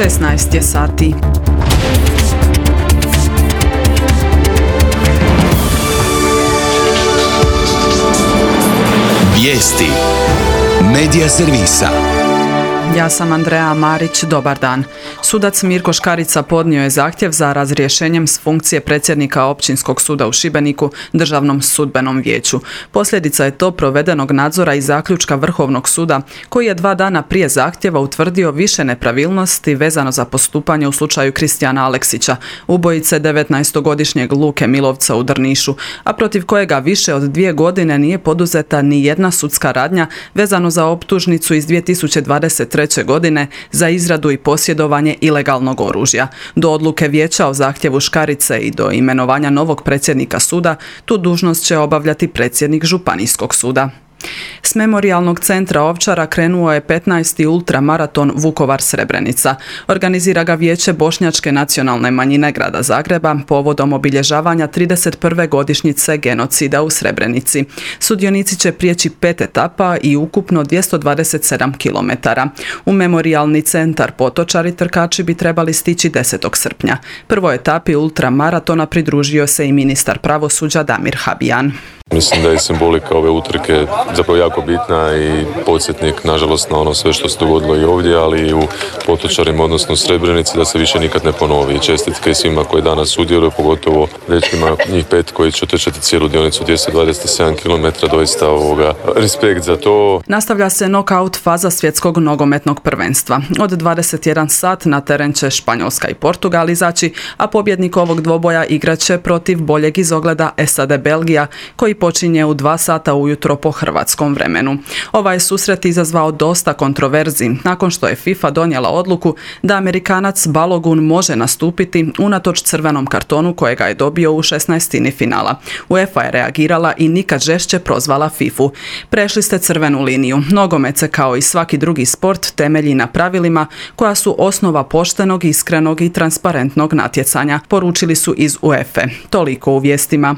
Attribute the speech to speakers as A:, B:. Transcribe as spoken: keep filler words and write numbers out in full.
A: šesnaest je sati.
B: Vijesti Medija servisa.
A: Ja sam Andreja Marić, dobar dan. Sudac Mirko Škarica podnio je zahtjev za razrješenjem s funkcije predsjednika Općinskog suda u Šibeniku Državnom sudbenom vijeću. Posljedica je to provedenog nadzora i zaključka Vrhovnog suda, koji je dva dana prije zahtjeva utvrdio više nepravilnosti vezano za postupanje u slučaju Kristijana Aleksića, ubojice devetnaestogodišnjeg Luke Milovca u Drnišu, a protiv kojega više od dvije godine nije poduzeta ni jedna sudska radnja vezano za optužnicu iz dvije tisuće dvadeset treće. godine za izradu i posjedovanje ilegalnog oružja. Do odluke vijeća o zahtjevu Škarice i do imenovanja novog predsjednika suda, tu dužnost će obavljati predsjednik Županijskog suda. S Memorijalnog centra Ovčara krenuo je petnaesti ultramaraton Vukovar-Srebrenica. Organizira ga Vijeće Bošnjačke nacionalne manjine grada Zagreba povodom obilježavanja trideset prve godišnjice genocida u Srebrenici. Sudionici će prijeći pet etapa i ukupno dvjesto dvadeset sedam kilometara. U Memorijalni centar Potočari trkači bi trebali stići desetog srpnja. Prvoj etapi ultramaratona pridružio se i ministar pravosuđa Damir Habijan.
C: Mislim da je simbolika ove utrke zapravo jako bitna i podsjetnik, nažalost, na ono sve što se dogodilo i ovdje, ali i u Potočarima, odnosno u Srebrenici, da se više nikad ne ponovi. Čestitke svima koji danas sudjeluju, pogotovo dečkima, njih pet koji će otrčati cijelu dionicu dvjesto dvadeset sedam kilometara, doista ovoga, respekt za to.
A: Nastavlja se nokaut faza svjetskog nogometnog prvenstva. Od dvadeset jedan sat na teren će Španjolska i Portugal izaći, a pobjednik ovog dvoboja igraće protiv boljeg izogleda S A D Belgija, koji počinje u dva sata ujutro po hrvatskom vremenu. Ovaj susret izazvao dosta kontroverzi nakon što je FIFA donijela odluku da Amerikanac Balogun može nastupiti unatoč crvenom kartonu kojega je dobio u šesnaestini finala. UEFA je reagirala i nikad žešće prozvala fifu. Prešli ste crvenu liniju. Nogomet se kao i svaki drugi sport temelji na pravilima koja su osnova poštenog, iskrenog i transparentnog natjecanja, poručili su iz UEFA. Toliko u vijestima.